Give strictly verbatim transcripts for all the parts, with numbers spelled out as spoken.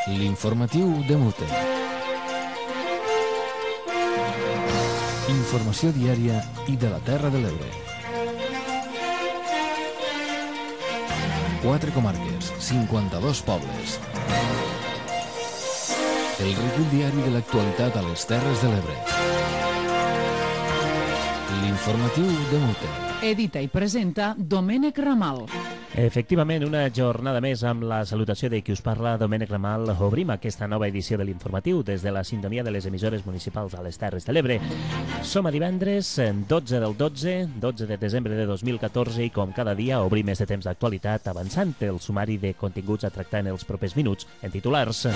L'informatiu de Mute. Informació diària i de la Terra de l'Ebre. Quatre comarques, cinquanta-dos pobles. El recull diari de l'actualitat a les Terres de l'Ebre. L'informatiu de Mute. Edita i presenta Domènec Ramal. Efectivament, una jornada més amb la salutació de qui us parla, Domènec Ramal. Obrim aquesta nova edició de l'informatiu des de la sintonia de les emissores municipals a les Terres de l'Ebre. Som a divendres, dotze del dotze, dotze de desembre de dos mil catorze, i com cada dia obrim més de temps d'actualitat avançant el sumari de continguts a tractar en els propers minuts en titulars.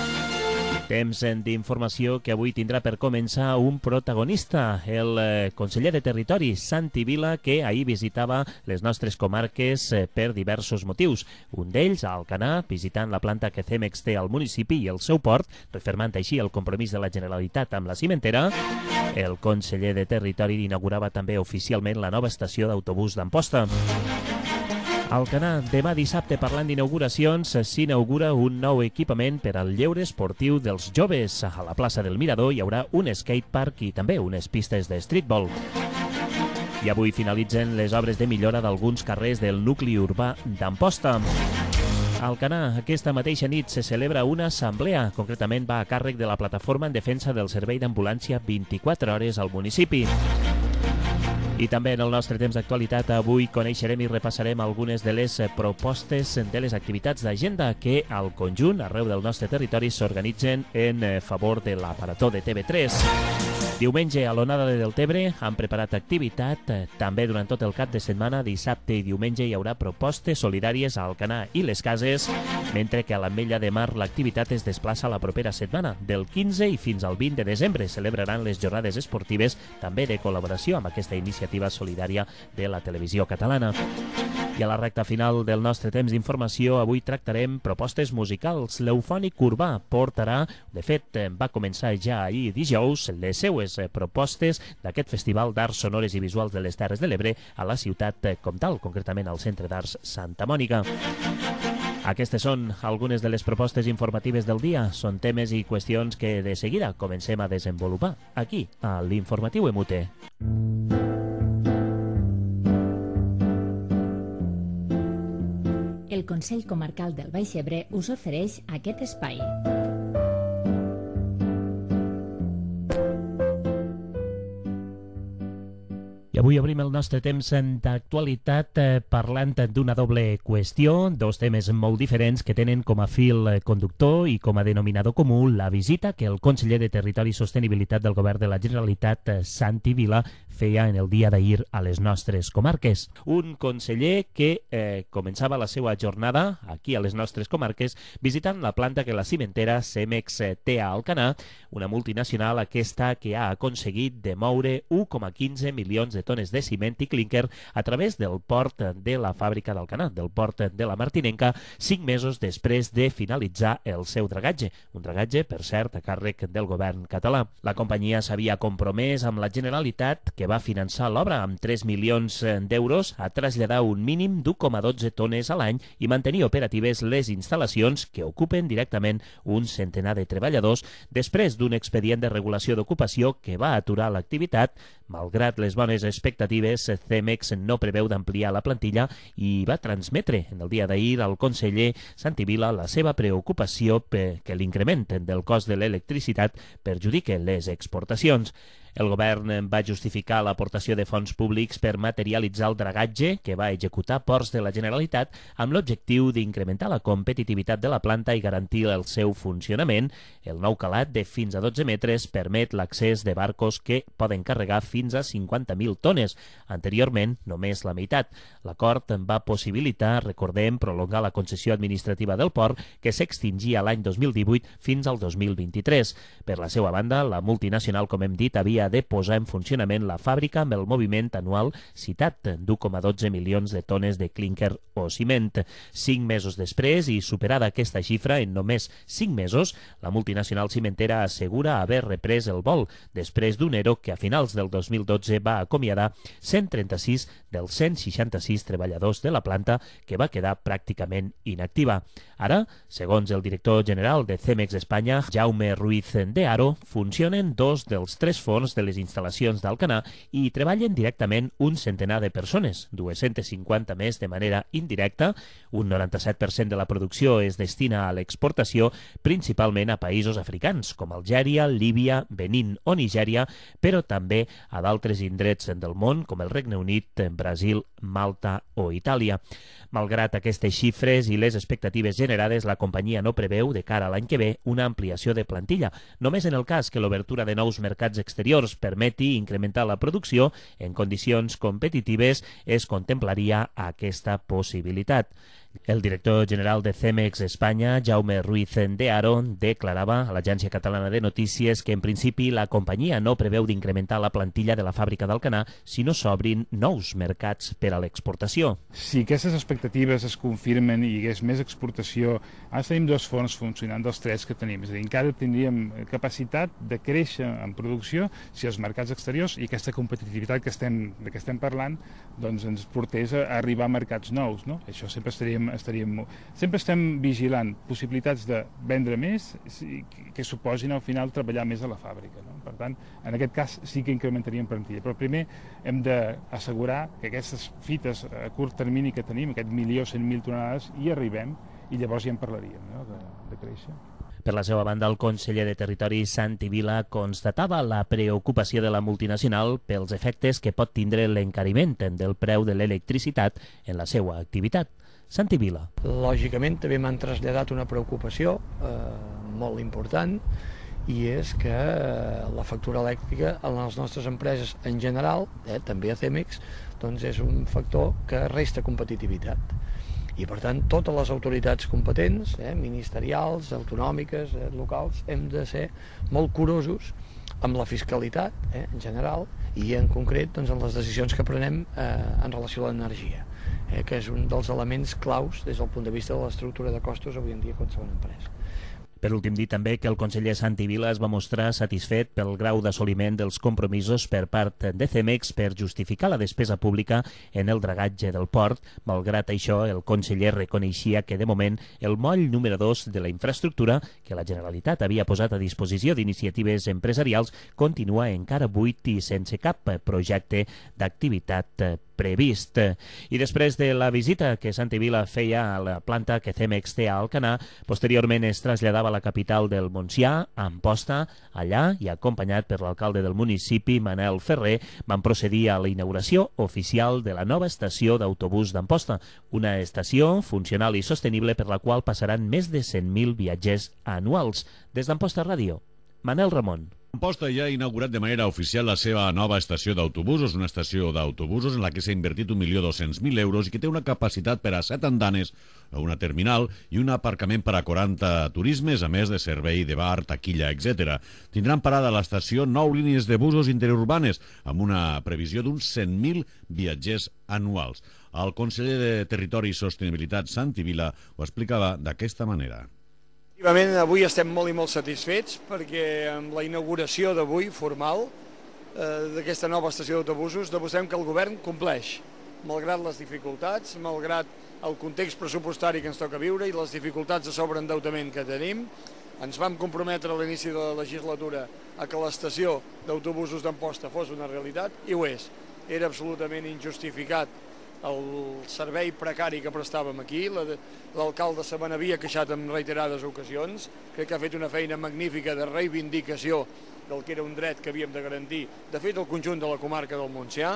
Temps d'informació que avui tindrà per començar un protagonista, el conseller de Territori, Santi Vila, que ahir visitava les nostres comarques per diversos motius. Un d'ells, a Alcanar, visitant la planta que Cemex té al municipi i el seu port, refermant així el compromís de la Generalitat amb la cimentera. El conseller de Territori inaugurava també oficialment la nova estació d'autobús d'Amposta. A Alcanar, demà dissabte, parlant d'inauguracions, s'inaugura un nou equipament per al lleure esportiu dels joves. A la plaça del Mirador hi haurà un skatepark i també unes pistes de streetball. I avui finalitzen les obres de millora d'alguns carrers del nucli urbà d'Amposta. A Alcanar, aquesta mateixa nit se celebra una assemblea. Concretament va a càrrec de la Plataforma en Defensa del Servei d'Ambulància vint-i-quatre hores al municipi. I també en el nostre temps d'actualitat avui coneixerem i repassarem algunes de les propostes de les activitats d'agenda que al conjunt, arreu del nostre territori, s'organitzen en favor de l'aparató de T V tres. Diumenge a l'Onada de Deltebre han preparat activitat. També durant tot el cap de setmana, dissabte i diumenge, hi haurà propostes solidàries a Alcanar i les Cases, mentre que a l'Ametlla de Mar l'activitat es desplaça la propera setmana. Del quinze i fins al vint de desembre celebraran les jornades esportives, també de col·laboració amb aquesta iniciativa solidària de la televisió catalana. I a la recta final del nostre temps d'informació, avui tractarem propostes musicals. L'Eufònic Urbà portarà, de fet, va començar ja ahir dijous, les seues propostes d'aquest Festival d'Arts Sonores i Visuals de les Terres de l'Ebre a la ciutat comtal, concretament al Centre d'Arts Santa Mònica. Aquestes són algunes de les propostes informatives del dia. Són temes i qüestions que de seguida comencem a desenvolupar aquí, a l'Informatiu E M U T E. El Consell Comarcal del Baix Ebre us ofereix aquest espai. I avui obrim el nostre temps d'actualitat eh, parlant d'una doble qüestió, dos temes molt diferents que tenen com a fil conductor i com a denominador comú la visita que el conseller de Territori i Sostenibilitat del Govern de la Generalitat, Santi Vila, feia en el dia d'ahir a les nostres comarques. Un conseller que eh, començava la seva jornada aquí a les nostres comarques visitant la planta que la cimentera Cemex té a Alcanar, una multinacional aquesta que ha aconseguit de moure un coma quinze milions de tones de ciment i clínquer a través del port de la fàbrica d'Alcanar, del port de la Martinenca, cinc mesos després de finalitzar el seu dragatge. Un dragatge, per cert, a càrrec del govern català. La companyia s'havia compromès amb la Generalitat, que va finançar l'obra amb tres milions d'euros, a traslladar un mínim d'u coma dotze tones a l'any i mantenir operatives les instal·lacions que ocupen directament un centenar de treballadors després d'un expedient de regulació d'ocupació que va aturar l'activitat. Malgrat les bones expectatives, Cemex no preveu d'ampliar la plantilla i va transmetre en el dia d'ahir al conseller Santi Vila la seva preocupació perquè l'increment del cost de l'electricitat perjudique les exportacions. El govern va justificar l'aportació de fons públics per materialitzar el dragatge que va executar Ports de la Generalitat amb l'objectiu d'incrementar la competitivitat de la planta i garantir el seu funcionament. El nou calat de fins a dotze metres permet l'accés de barcos que poden carregar fins a cinquanta mil tones. Anteriorment, només la meitat. L'acord va possibilitar, recordem, prolongar la concessió administrativa del port, que s'extingia l'any dos mil divuit fins al dos mil vint-i-tres. Per la seva banda, la multinacional, com hem dit, havia hauria de posar en funcionament la fàbrica amb el moviment anual citat d'u coma dotze milions de tones de clínquer o ciment. Cinc mesos després i superada aquesta xifra en només cinc mesos, la multinacional cimentera assegura haver reprès el vol després d'un ERO que a finals del dos mil dotze va acomiadar cent trenta-sis dels cent seixanta-sis treballadors de la planta que va quedar pràcticament inactiva. Ara, segons el director general de Cemex Espanya, Jaume Ruiz de Haro, funcionen dos dels tres forns de les instal·lacions d'Alcanar i treballen directament un centenar de persones, dues-centes cinquanta més de manera indirecta. Un noranta-set per cent de la producció es destina a l'exportació, principalment a països africans, com Algèria, Líbia, Benín o Nigèria, però també a d'altres indrets del món, com el Regne Unit, Brasil, Malta o Itàlia. Malgrat aquestes xifres i les expectatives generades, la companyia no preveu, de cara a l'any que ve, una ampliació de plantilla. Només en el cas que l'obertura de nous mercats exteriors permeti incrementar la producció en condicions competitives, es contemplaria aquesta possibilitat. El director general de Cemex Espanya, Jaume Ruiz de Haro, declarava a l'Agència Catalana de Notícies que en principi la companyia no preveu d'incrementar la plantilla de la fàbrica d'Alcanar si no s'obrin nous mercats per a l'exportació. Si aquestes expectatives es confirmen i hi hagués més exportació, ara tenim dos forns funcionant dels tres que tenim, és a dir, encara tindríem capacitat de créixer en producció si els mercats exteriors i aquesta competitivitat que estem, de què estem parlant doncs ens portés a arribar a mercats nous, no? Això sempre estaríem Estaríem, sempre estem vigilant possibilitats de vendre més que suposin al final treballar més a la fàbrica, no? Per tant, en aquest cas sí que incrementaríem plantilla, però primer hem d'assegurar que aquestes fites a curt termini que tenim, aquest milió cent mil tonelades, hi arribem i llavors ja en parlaríem, no? de, de créixer. Per la seva banda, el conseller de Territori, Santi Vila, constatava la preocupació de la multinacional pels efectes que pot tindre l'encariment del preu de l'electricitat en la seva activitat. Santi Vila. Lògicament també m'han traslladat una preocupació eh, molt important i és que eh, la factura elèctrica en les nostres empreses en general, eh, també a Cemex, doncs és un factor que resta competitivitat. I per tant totes les autoritats competents, eh, ministerials, autonòmiques, eh, locals, hem de ser molt curosos amb la fiscalitat eh, en general i en concret doncs, en les decisions que prenem eh, en relació a l'energia, eh, que és un dels elements claus des del punt de vista de l'estructura de costos avui en dia a qualsevol empresa. Per últim, dir també que el conseller Santi Vila es va mostrar satisfet pel grau d'assoliment dels compromisos per part de Cemex per justificar la despesa pública en el dragatge del port. Malgrat això, el conseller reconeixia que, de moment, el moll número dos de la infraestructura que la Generalitat havia posat a disposició d'iniciatives empresarials continua encara buit i sense cap projecte d'activitat previst. I després de la visita que Santi Vila feia a la planta que Cemex té a Alcanar, posteriorment es traslladava a la capital del Montsià, a Amposta. Allà, i acompanyat per l'alcalde del municipi, Manel Ferrer, van procedir a la inauguració oficial de la nova estació d'autobús d'Amposta, una estació funcional i sostenible per la qual passaran més de cent mil viatgers anuals. Des d'Amposta Ràdio, Manel Ramon. Amposta ja ha inaugurat de manera oficial la seva nova estació d'autobusos, una estació d'autobusos en la que s'ha invertit un milió dos-cents mil euros i que té una capacitat per a set andanes, una terminal i un aparcament per a quaranta turismes, a més de servei de bar, taquilla, etcètera. Tindran parada a l'estació nou línies de busos interurbanes, amb una previsió d'uns cent mil viatgers anuals. El conseller de Territori i Sostenibilitat, Santi Vila, ho explicava d'aquesta manera. Efectivament, avui estem molt i molt satisfets perquè amb la inauguració d'avui, formal, eh, d'aquesta nova estació d'autobusos, demostrem que el govern compleix, malgrat les dificultats, malgrat el context pressupostari que ens toca viure i les dificultats de sobreendeutament que tenim. Ens vam comprometre a l'inici de la legislatura a que l'estació d'autobusos d'Amposta fos una realitat, i ho és. Era absolutament injustificat el servei precari que prestàvem aquí. L'alcalde se me n'havia queixat en reiterades ocasions. Crec que ha fet una feina magnífica de reivindicació del que era un dret que havíem de garantir. De fet, el conjunt de la comarca del Montsià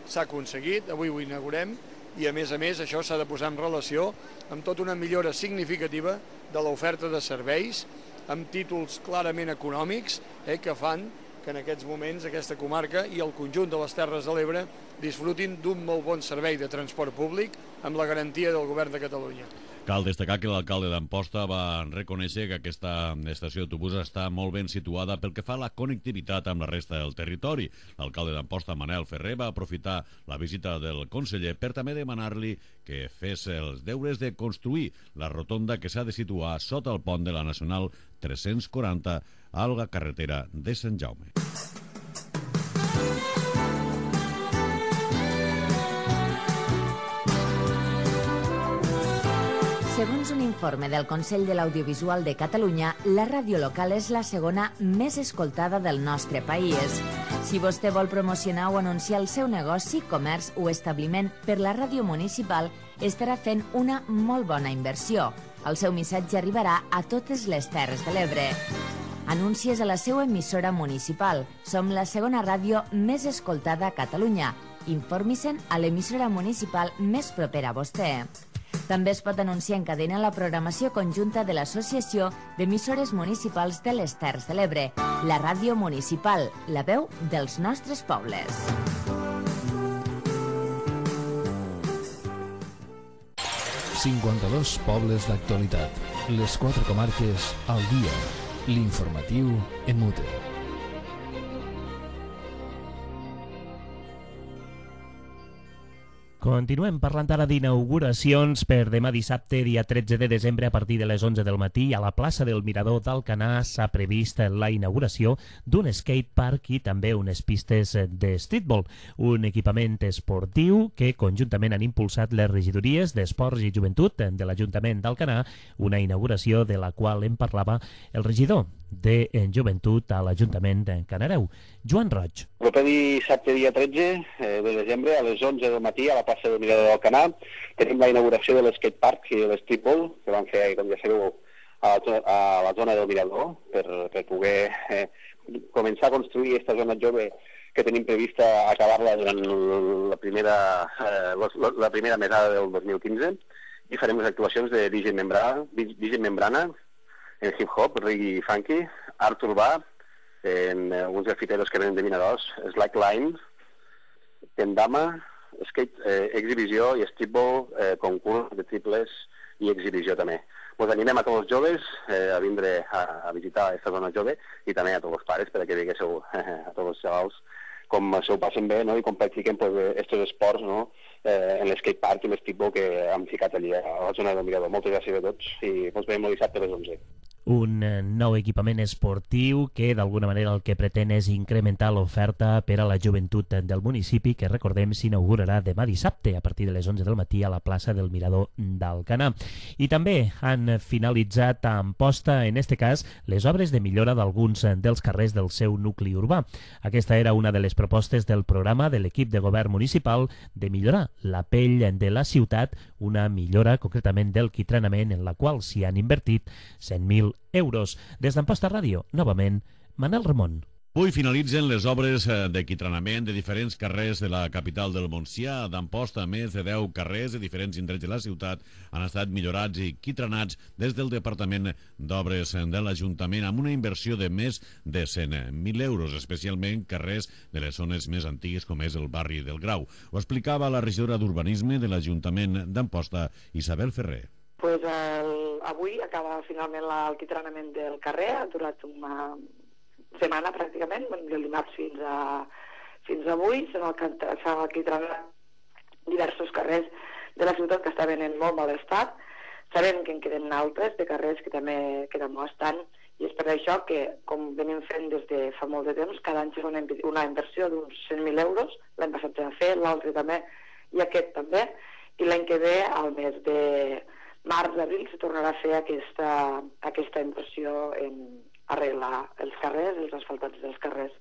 s'ha aconseguit, avui ho inaugurem, i a més a més això s'ha de posar en relació amb tota una millora significativa de l'oferta de serveis, amb títols clarament econòmics, eh, que fan que en aquests moments aquesta comarca i el conjunt de les Terres de l'Ebre disfrutin d'un molt bon servei de transport públic amb la garantia del govern de Catalunya. Cal destacar que l'alcalde d'Amposta va reconèixer que aquesta estació d'autobusos està molt ben situada pel que fa a la connectivitat amb la resta del territori. L'alcalde d'Amposta, Manel Ferrer, va aprofitar la visita del conseller per també demanar-li que fes els deures de construir la rotonda que s'ha de situar sota el pont de la Nacional tres-cents quaranta a la carretera de Sant Jaume. Segons un informe del Consell de l'Audiovisual de Catalunya, la ràdio local és la segona més escoltada del nostre país. Si vostè vol promocionar o anunciar el seu negoci, comerç o establiment per la ràdio municipal, estarà fent una molt bona inversió. El seu missatge arribarà a totes les Terres de l'Ebre. Anuncies a la seva emissora municipal. Som la segona ràdio més escoltada a Catalunya. Informi-se'n a l'emissora municipal més propera a vostè. També es pot anunciar en cadena la programació conjunta de l'Associació d'Emissores Municipals de les Terres de l'Ebre, la ràdio municipal, la veu dels nostres pobles. cinquanta-dos pobles d'actualitat. Les quatre comarques al dia. L'informatiu en mute. Continuem parlant ara d'inauguracions per demà dissabte, dia tretze de desembre, a partir de les onze del matí. A la plaça del Mirador d'Alcanar s'ha previst la inauguració d'un skatepark i també unes pistes de streetball, un equipament esportiu que conjuntament han impulsat les regidories d'Esports i Joventut de l'Ajuntament d'Alcanar, una inauguració de la qual en parlava el regidor de Joventut a l'Ajuntament de Canareu, Joan Roig. El proper dissabte, dia tretze de desembre, a les onze del matí, a la plaça del Mirador d'Alcanar, tenim la inauguració de l'skatepark i de l'streetball, que van fer, com ja sabeu, a la, a la zona del Mirador, per, per poder eh, començar a construir aquesta zona jove que tenim prevista acabar-la durant la primera, eh, la, la primera mesada del dos mil quinze, i farem les actuacions de D J Membrana, D J Membrana, en hip-hop, reggae funky, art urbà, en alguns grafiteros que venen de Vinaròs, slackline, kendama, skate, eh, exhibició i streetball, eh, concurs de triples i exhibició també. Us animem a tots els joves eh, a vindre a, a visitar aquesta zona jove i també a tots els pares perquè vinguéssiu eh, a tots els xavals com s'ho passen bé, no? I com practiquen aquests pues, esports, no? eh, en l'skatepark i l'streetball que hem ficat allí a la zona del Mirador. Moltes gràcies a tots i ens veiem el dissabte a les onze. Un nou equipament esportiu que d'alguna manera el que pretén és incrementar l'oferta per a la joventut del municipi, que recordem s'inaugurarà demà dissabte a partir de les onze del matí a la plaça del Mirador d'Alcanar. I també han finalitzat a Amposta, en este cas, les obres de millora d'alguns dels carrers del seu nucli urbà. Aquesta era una de les propostes del programa de l'equip de govern municipal de millorar la pell de la ciutat, una millora concretament del quitranament en la qual s'hi han invertit cent mil euros. Des d'Amposta Ràdio, novament, Manel Ramon. Avui finalitzen les obres de quitranament de diferents carrers de la capital del Montsià. D'Amposta, més de deu carrers de diferents indrets de la ciutat han estat millorats i quitranats des del Departament d'Obres de l'Ajuntament amb una inversió de més de cent mil euros, especialment carrers de les zones més antigues com és el barri del Grau. Ho explicava la regidora d'Urbanisme de l'Ajuntament d'Amposta, Isabel Ferrer. Pues el, avui acaba finalment l'alquitranament del carrer, ha durat una setmana pràcticament, del dimarts fins a fins avui, s'han alquitranat diversos carrers de la ciutat que estaven en molt mal estat. Sabem que en queden altres de carrers que també, que també estan, i és per això que, com venim fent des de fa molt de temps, cada any serà una, una inversió d'uns cent mil euros, l'any passat s'ha fet, l'altre també, i aquest també, i l'any que ve, al mes de març, abril, se tornarà a fer aquesta, aquesta inversió en arreglar els carrers, els asfaltats dels carrers,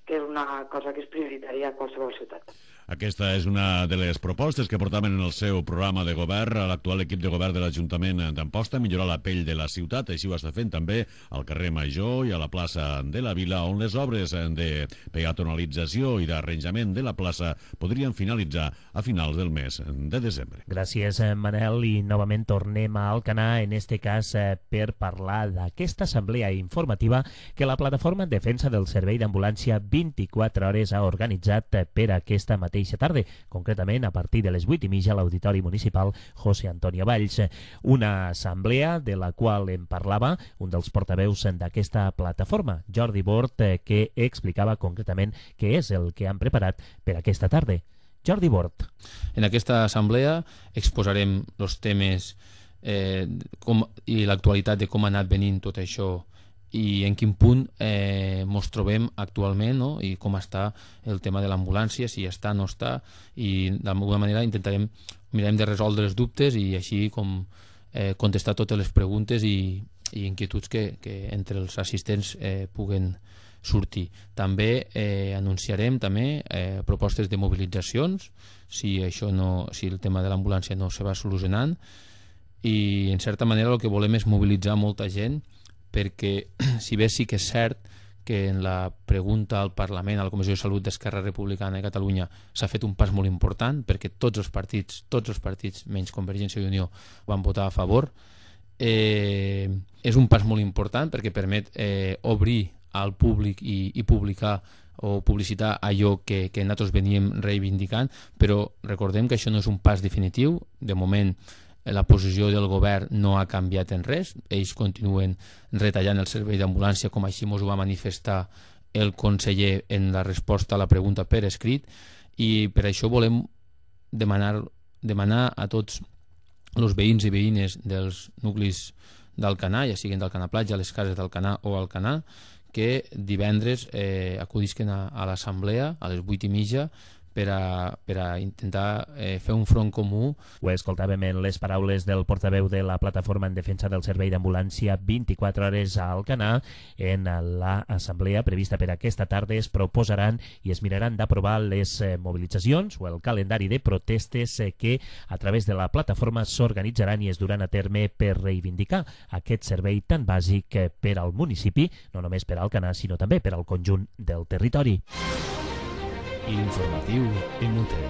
que és una cosa que és prioritària a qualsevol ciutat. Aquesta és una de les propostes que portaven en el seu programa de govern a l'actual equip de govern de l'Ajuntament d'Amposta, millorar la pell de la ciutat. Així ho està fent també al carrer Major i a la plaça de la Vila, on les obres de peatonalització i d'arranjament de la plaça podrien finalitzar a finals del mes de desembre. Gràcies, Manel, i novament tornem a Alcanar, en este cas per parlar d'aquesta assemblea informativa que la plataforma en defensa del servei d'ambulància vint-i-quatre hores ha organitzat per aquesta mateixa mateixa tarda, concretament a partir de les vuit i mitja a l'Auditori Municipal José Antonio Valls. Una assemblea de la qual en parlava un dels portaveus d'aquesta plataforma, Jordi Bort, que explicava concretament què és el que han preparat per aquesta tarda. Jordi Bort. En aquesta assemblea exposarem els temes eh, com, i l'actualitat de com ha anat venint tot això i en quin punt eh, ens trobem actualment, no? I com està el tema de l'ambulància, si està o no està, i d'alguna manera intentarem mirarem de resoldre els dubtes i així com eh, contestar totes les preguntes i, i inquietuds que, que entre els assistents eh, puguen sortir. També eh, anunciarem també eh, propostes de mobilitzacions si, això no, si el tema de l'ambulància no se va solucionant, i en certa manera el que volem és mobilitzar molta gent, perquè si bé sí que és cert que en la pregunta al Parlament, a la Comissió de Salut d'Esquerra Republicana de Catalunya s'ha fet un pas molt important, perquè tots els partits, tots els partits menys Convergència i Unió van votar a favor, eh, és un pas molt important perquè permet eh, obrir al públic i, i publicar o publicitar allò que, que nosaltres veníem reivindicant, però recordem que això no és un pas definitiu. De moment la posició del govern no ha canviat en res, ells continuen retallant el servei d'ambulància, com així ens ho va manifestar el conseller en la resposta a la pregunta per escrit, i per això volem demanar, demanar a tots els veïns i veïnes dels nuclis d'Alcanar, ja siguin d'Alcanar Platja, a les cases d'Alcanar o Alcanar, que divendres eh, acudisquen a, a l'assemblea a les vuit i mitja per a, per a intentar eh, fer un front comú. Ho escoltàvem en les paraules del portaveu de la Plataforma en Defensa del Servei d'Ambulància vint-i-quatre hores a Alcanar. En l'assemblea prevista per aquesta tarda es proposaran i es miraran d'aprovar les eh, mobilitzacions o el calendari de protestes eh, que a través de la plataforma s'organitzaran i es duran a terme per reivindicar aquest servei tan bàsic eh, per al municipi, no només per a Alcanar, sinó també per al conjunt del territori. L'informatiu en U T.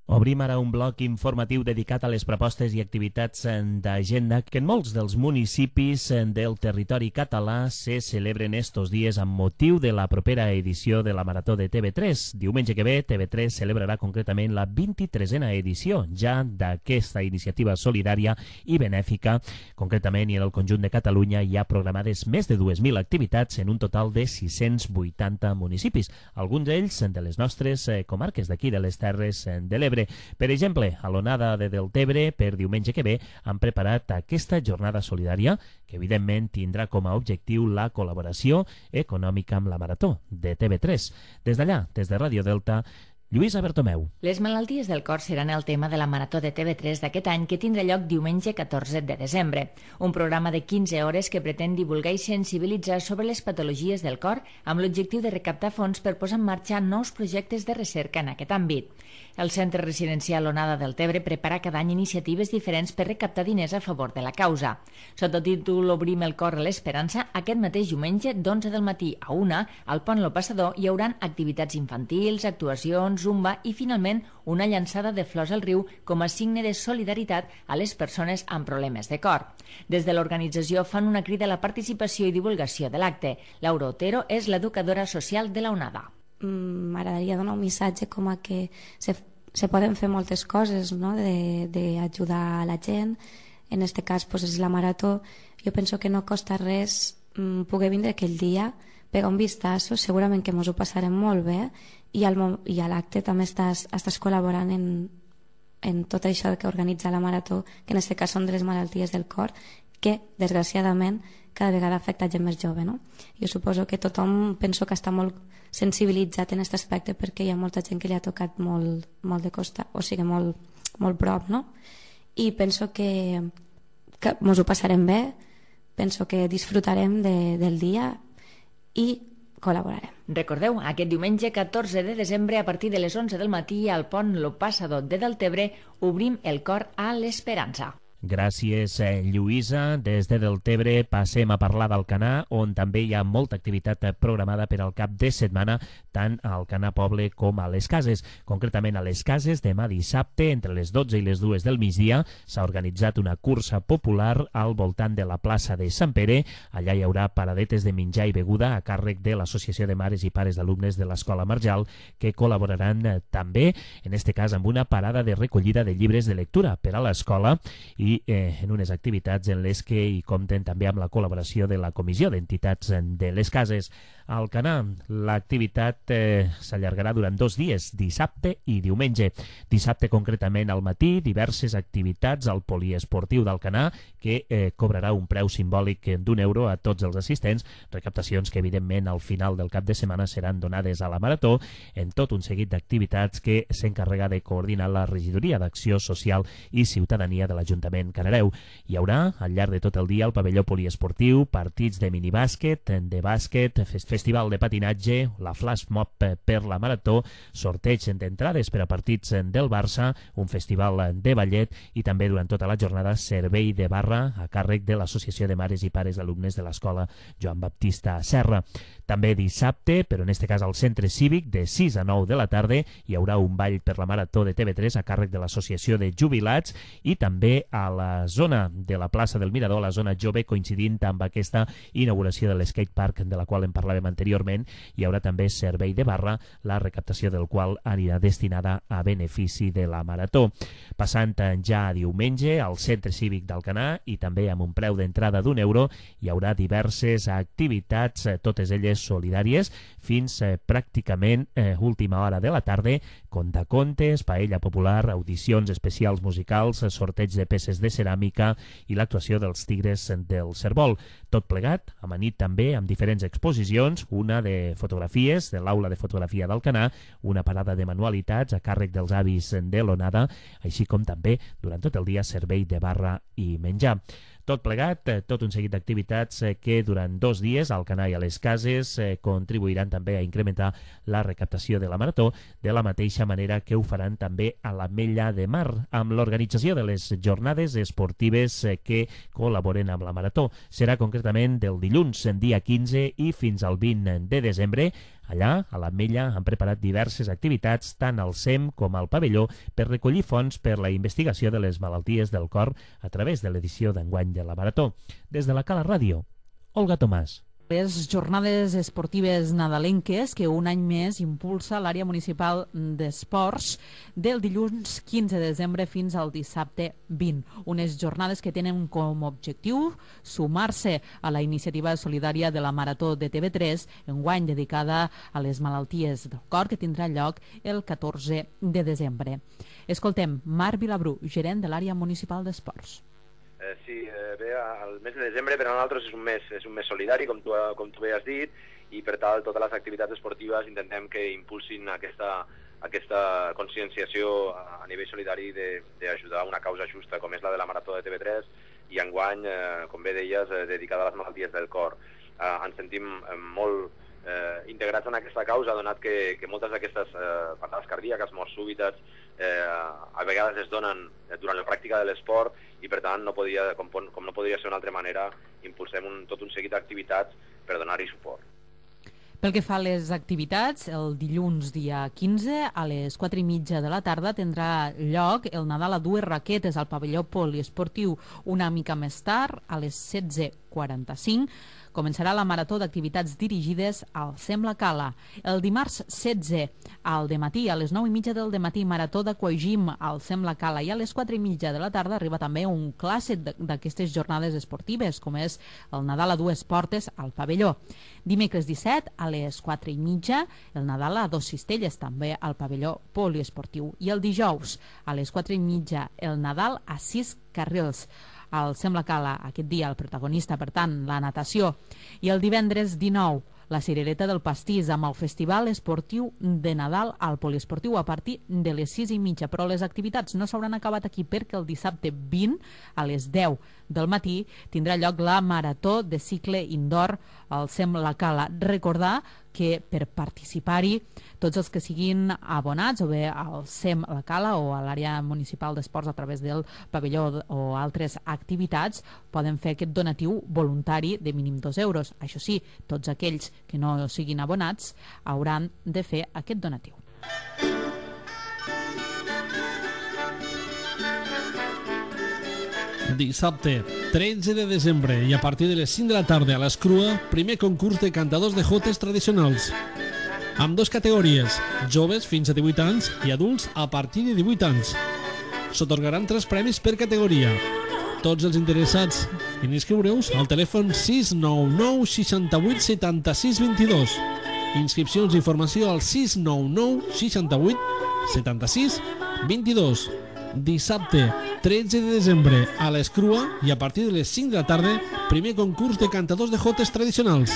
Obrim ara un bloc informatiu dedicat a les propostes i activitats d'agenda que en molts dels municipis del territori català se celebren estos dies amb motiu de la propera edició de la Marató de T V tres. Diumenge que ve, T V tres celebrarà concretament la vint-i-tresena edició ja d'aquesta iniciativa solidària i benèfica. Concretament, i en el conjunt de Catalunya hi ha programades més de dues mil activitats en un total de sis-cents vuitanta municipis, alguns d'ells de les nostres comarques d'aquí de les Terres de l'Ebre. Per exemple, a l'Onada de Deltebre, per diumenge que ve, han preparat aquesta jornada solidària que, evidentment, tindrà com a objectiu la col·laboració econòmica amb la Marató de T V tres. Des d'allà, des de Ràdio Delta, Lluïsa Bertomeu. Les malalties del cor seran el tema de la Marató de T V tres d'aquest any, que tindrà lloc diumenge catorze de desembre. Un programa de quinze hores que pretén divulgar i sensibilitzar sobre les patologies del cor amb l'objectiu de recaptar fons per posar en marxa nous projectes de recerca en aquest àmbit. El Centre Residencial Onada del Tebre prepara cada any iniciatives diferents per recaptar diners a favor de la causa. Sota el títol Obrim el cor a l'esperança, aquest mateix diumenge d'onze del matí a una, al Pont Lo Passador hi haurà activitats infantils, actuacions, zumba i, finalment, una llançada de flors al riu com a signe de solidaritat a les persones amb problemes de cor. Des de l'organització fan una crida a la participació i divulgació de l'acte. Laura Otero és l'educadora social de la Onada. M'agradaria donar un missatge com a que se, se poden fer moltes coses, no? d'ajudar la gent. En aquest cas pues, és la Marató. Jo penso que no costa res mm, poder vindre aquell dia, pegar un vistazo, segurament que ens ho passarem molt bé, i, al, i a l'acte també estàs, estàs col·laborant en, en tot això que organitza la Marató, que en aquest cas són de les malalties del cor, que desgraciadament cada vegada afecta gent més jove, no? Jo suposo que tothom penso que està molt sensibilitzat en aquest aspecte perquè hi ha molta gent que li ha tocat molt, molt de costa, o sigui, molt, molt prop, no? I penso que, que ens ho passarem bé, penso que disfrutarem de, del dia i col·laborarem. Recordeu, aquest diumenge catorze de desembre a partir de les onze del matí al Pont Lo Passador de Deltebre obrim el cor a l'esperança. Gràcies, Lluïsa. Des de Deltebre passem a parlar d'Alcanar, on també hi ha molta activitat programada per al cap de setmana, tant a Alcanar Poble com a les Cases. Concretament a les Cases, demà dissabte, entre les dotze i les dues del migdia, s'ha organitzat una cursa popular al voltant de la plaça de Sant Pere. Allà hi haurà paradetes de menjar i beguda a càrrec de l'Associació de Mares i Pares d'Alumnes de l'Escola Marjal, que col·laboraran també, en este cas, amb una parada de recollida de llibres de lectura per a l'escola i i eh, en unes activitats en les que hi compten també amb la col·laboració de la Comissió d'Entitats de les Cases. A Alcanar, l'activitat eh, s'allargarà durant dos dies, dissabte i diumenge. Dissabte, concretament, al matí, diverses activitats al poliesportiu d'Alcanar, que eh, cobrarà un preu simbòlic d'un euro a tots els assistents, recaptacions que, evidentment, al final del cap de setmana seran donades a la Marató, en tot un seguit d'activitats que s'encarrega de coordinar la Regidoria d'Acció Social i Ciutadania de l'Ajuntament Canareu. Hi haurà, al llarg de tot el dia, al pavelló poliesportiu, partits de minibàsquet, de bàsquet, festival de patinatge, la flash mob per la Marató, sorteig d'entrades per a partits del Barça, un festival de ballet i també durant tota la jornada servei de barra a càrrec de l'Associació de Mares i Pares d'Alumnes de l'Escola Joan Baptista Serra. També dissabte, però en este cas al Centre Cívic, de sis a nou de la tarda, hi haurà un ball per la Marató de T V tres a càrrec de l'Associació de Jubilats i també a la zona de la plaça del Mirador, la zona jove, coincidint amb aquesta inauguració de l'skatepark de la qual en parlàvem anteriorment, hi haurà també servei de barra, la recaptació del qual anirà destinada a benefici de la Marató. Passant ja a diumenge, al Centre Cívic d'Alcanar, i també amb un preu d'entrada d'un euro, hi haurà diverses activitats, totes elles solidàries, fins eh, pràcticament eh, última hora de la tarda, contacontes, paella popular, audicions especials musicals, sorteig de peces de ceràmica i l'actuació dels Tigres del Cerbol. Tot plegat, amanit també amb diferents exposicions, una de fotografies de l'Aula de Fotografia d'Alcanar, una parada de manualitats a càrrec dels avis de l'Onada, així com també durant tot el dia servei de barra i menjar. Tot plegat, tot un seguit d'activitats que durant dos dies al Alcanar i a les Cases contribuiran també a incrementar la recaptació de la Marató, de la mateixa manera que ho faran també a l'Ametlla de Mar, amb l'organització de les jornades esportives que col·laboren amb la Marató. Serà concretament del dilluns, dia quinze, i fins al vint de desembre. Allà, a l'Ametlla, han preparat diverses activitats, tant al C E M com al pavelló, per recollir fons per la investigació de les malalties del cor a través de l'edició d'enguany de la Marató. Des de la Cala Ràdio, Olga Tomàs. Les jornades esportives nadalenques que un any més impulsa l'àrea municipal d'esports del dilluns quinze de desembre fins al dissabte vint. Unes jornades que tenen com a objectiu sumar-se a la iniciativa solidària de la Marató de T V tres, enguany dedicada a les malalties del cor, que tindrà lloc el catorze de desembre. Escoltem Marc Vilabrú, gerent de l'àrea municipal d'esports. Eh, sí, eh, bé, el mes de desembre per a nosaltres és un mes, és un mes solidari, com tu, com tu bé has dit, i per tal totes les activitats esportives intentem que impulsin aquesta, aquesta conscienciació a nivell solidari d'ajudar a una causa justa, com és la de la Marató de T V tres, i enguany, eh, com bé deies, eh, dedicada a les malalties del cor. Eh, ens sentim eh, molt eh, integrats en aquesta causa, donat que, que moltes d'aquestes eh, parades cardíaques, morts súbites, eh, a vegades es donen durant la pràctica de l'esport, i per tant, no podia, com, com no podria ser d'una altra manera, impulsem un, tot un seguit d'activitats per donar-hi suport. Pel que fa a les activitats, el dilluns dia quinze a les quatre i mitja de la tarda tindrà lloc el Nadal a dues raquetes al pavelló poliesportiu. Una mica més tard, a les setze quaranta-cinc, començarà la marató d'activitats dirigides al Sembla Cala. El dimarts setze al dematí, a les nou i mitja del dematí, marató d'aquagym al Sembla Cala, i a les quatre i mitja de la tarda arriba també un clàssic d'aquestes jornades esportives, com és el Nadal a dues portes al pavelló. Dimecres disset, a les quatre i mitja, el Nadal a dos cistelles, també al pavelló poliesportiu. I el dijous, a les quatre i mitja, el Nadal a sis carrils. Al Sembla Cala, aquest dia, el protagonista, per tant, la natació. I el divendres dinou, la cirereta del pastís, amb el Festival Esportiu de Nadal al poliesportiu a partir de les sis i mitja. Però les activitats no s'hauran acabat aquí, perquè el dissabte vint, a les deu del matí, tindrà lloc la marató de cicle indoor al Sembla Cala. Recordar que per participar-hi tots els que siguin abonats o bé al S E M La Cala o a l'àrea municipal d'esports a través del pavelló o altres activitats poden fer aquest donatiu voluntari de mínim dos euros. Això sí, tots aquells que no siguin abonats hauran de fer aquest donatiu. Dissabte, tretze de desembre, i a partir de les cinc de la tarda a l'Escrua, primer concurs de cantadors de jotes tradicionals. Amb dues categories, joves fins a divuit anys i adults a partir de divuit anys. S'atorgaran tres premis per categoria. Tots els interessats en inscriure-us al telèfon sis nou nou seixanta-vuit setanta-sis vint-i-dos. Inscripcions i informació al sis nou nou seixanta-vuit setanta-sis vint-i-dos. Dissabte, tretze de desembre, a l'Escrua, i a partir de les cinc de la tarda, primer concurs de cantadors de jotes tradicionals.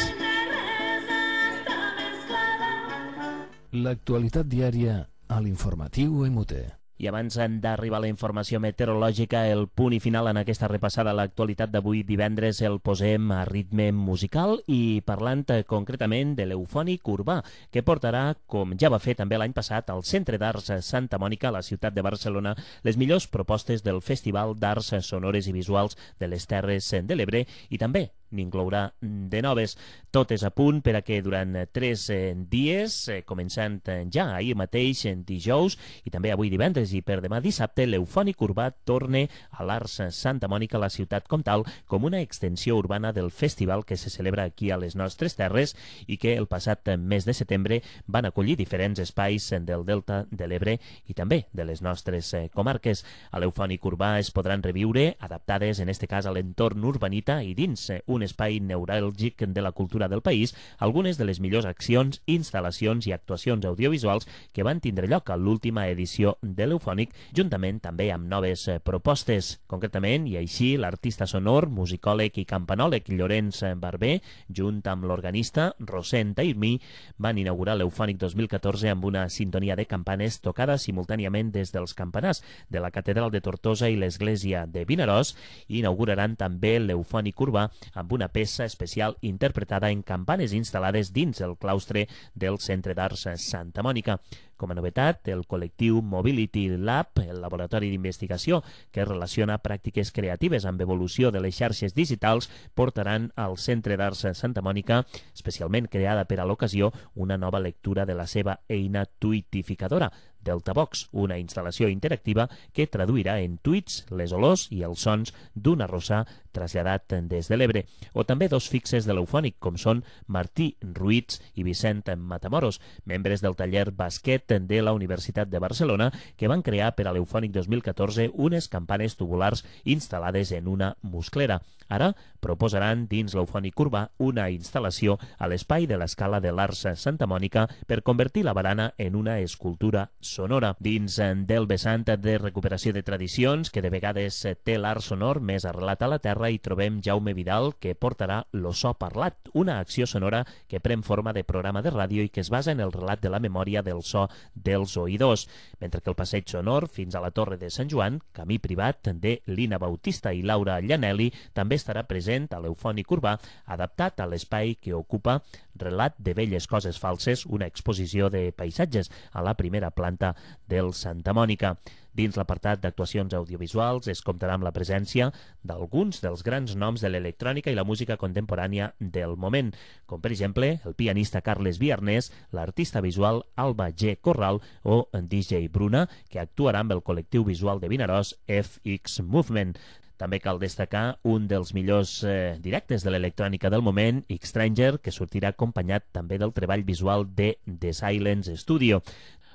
L'actualitat diària a l'informatiu M U T. I abans d'arribar a la informació meteorològica, el punt i final en aquesta repassada a l'actualitat d'avui divendres el posem a ritme musical i parlant concretament de l'Eufònic Urbà, que portarà, com ja va fer també l'any passat, al Centre d'Arts Santa Mònica, a la ciutat de Barcelona, les millors propostes del Festival d'Arts Sonores i Visuals de les Terres de l'Ebre i també n'inclourà de noves. Tot és a punt per a que durant tres dies, començant ja ahir mateix, dijous, i també avui divendres i per demà dissabte, l'Eufònic Urbà torne a l'Arts Santa Mònica, a la ciutat com tal, com una extensió urbana del festival que se celebra aquí a les nostres terres i que el passat mes de setembre van acollir diferents espais del Delta de l'Ebre i també de les nostres comarques. A l'Eufònic Urbà es podran reviure, adaptades en este cas a l'entorn urbanita i dins un espai neuràlgic de la cultura del país, algunes de les millors accions, instal·lacions i actuacions audiovisuals que van tindre lloc a l'última edició de l'Eufònic, juntament també amb noves propostes. Concretament, i així, l'artista sonor, musicòleg i campanòleg Llorenç Barber, junt amb l'organista Rosent Tairmí, van inaugurar l'Eufònic dos mil catorze amb una sintonia de campanes tocada simultàniament des dels campanars de la Catedral de Tortosa i l'Església de Vinaròs, i inauguraran també l'Eufònic Urbà amb una peça especial interpretada en campanes instal·lades dins el claustre del Centre d'Arts Santa Mònica. Com a novetat, el col·lectiu Mobility Lab, el laboratori d'investigació que relaciona pràctiques creatives amb evolució de les xarxes digitals, portaran al Centre d'Arts Santa Mònica, especialment creada per a l'ocasió, una nova lectura de la seva eina tuitificadora, Deltavox, una instal·lació interactiva que traduirà en tuits les olors i els sons d'un arrossar traslladat des de l'Ebre. O també dos fixes de l'Eufònic, com són Martí Ruiz i Vicent Matamoros, membres del taller Basquet de la Universitat de Barcelona, que van crear per a l'Eufònic dos mil catorze unes campanes tubulars instal·lades en una musclera. Ara proposaran dins l'Eufònic Urbà una instal·lació a l'espai de l'Escala de l'Arts Santa Mònica per convertir la barana en una escultura sonora. Dins del vessant de recuperació de tradicions, que de vegades té l'art sonor més arrelat a la terra, hi trobem Jaume Vidal, que portarà Lo so parlat, una acció sonora que pren forma de programa de ràdio i que es basa en el relat de la memòria del so dels oïdors, mentre que el passeig sonor fins a la Torre de Sant Joan, camí privat de Lina Bautista i Laura Llanelli, també estarà present a l'Eufònic Urbà, adaptat a l'espai que ocupa Relat de velles coses falses, una exposició de paisatges a la primera planta del Santa Mònica. Dins l'apartat d'actuacions audiovisuals es comptarà amb la presència d'alguns dels grans noms de l'electrònica i la música contemporània del moment, com per exemple el pianista Carles Viarnés, l'artista visual Alba G. Corral o en D J Bruna, que actuarà amb el col·lectiu visual de Vinaròs F X Movement. També cal destacar un dels millors eh, directes de l'electrònica del moment, X-Stranger, que sortirà acompanyat també del treball visual de The Silence Studio.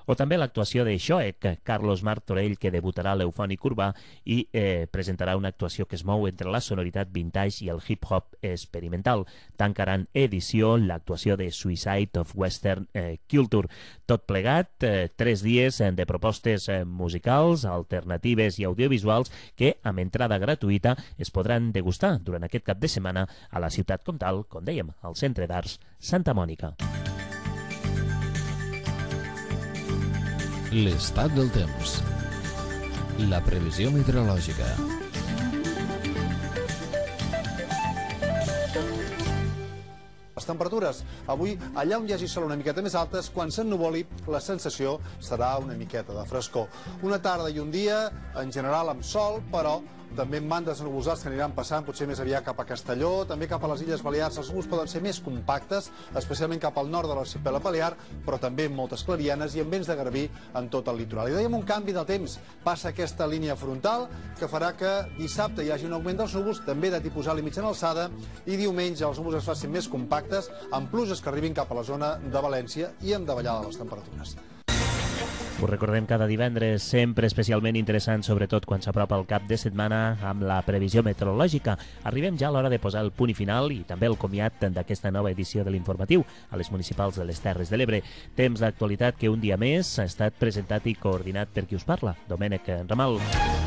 O també l'actuació de Xoec, Carlos Martorell, que debutarà a l'Eufònic Urbà i eh, presentarà una actuació que es mou entre la sonoritat vintage i el hip-hop experimental. Tancaran edició l'actuació de Suicide of Western eh, Culture. Tot plegat, eh, tres dies de propostes eh, musicals, alternatives i audiovisuals que, amb entrada gratuïta, es podran degustar durant aquest cap de setmana a la ciutat com tal, com dèiem, al Centre d'Arts Santa Mònica. L'estat del temps. La previsió meteorològica. temperatures. Avui, allà on hi hagi sol una miqueta més altes, quan s'ennuvoli, la sensació serà una miqueta de frescor. Una tarda i un dia, en general amb sol, però també amb bandes nuvolades que aniran passant, potser més aviat cap a Castelló, també cap a les Illes Balears. Els núvols poden ser més compactes, especialment cap al nord de l'arxipèlag balear, però també amb moltes clarianes i amb vents de garbí en tot el litoral. I dèiem un canvi de temps. Passa aquesta línia frontal que farà que dissabte hi hagi un augment dels núvols, també de tipus alt i mitjana alçada, i diumenge els núvols es facin més compactes, amb pluges que arribin cap a la zona de València i amb davallada de les temperatures. Us recordem cada divendres, sempre especialment interessant, sobretot quan s'apropa el cap de setmana amb la previsió meteorològica. Arribem ja a l'hora de posar el punt i final i també el comiat d'aquesta nova edició de l'informatiu a les municipals de les Terres de l'Ebre. Temps d'actualitat que un dia més ha estat presentat i coordinat per qui us parla, Domènec Ramal.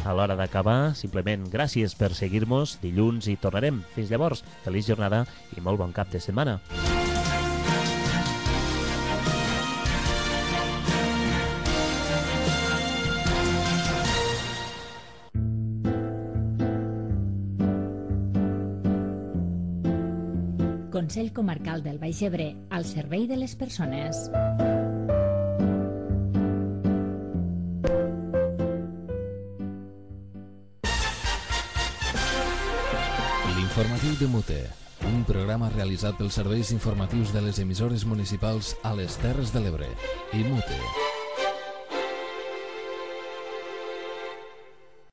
A l'hora d'acabar, simplement gràcies per seguir-nos. Dilluns hi tornarem. Fins llavors, feliç jornada i molt bon cap de setmana. Consell Comarcal del Baix Ebre, al servei de les persones. L'informatiu de Mute, un programa realitzat pels serveis informatius de les emissores municipals a les Terres de l'Ebre i Mute.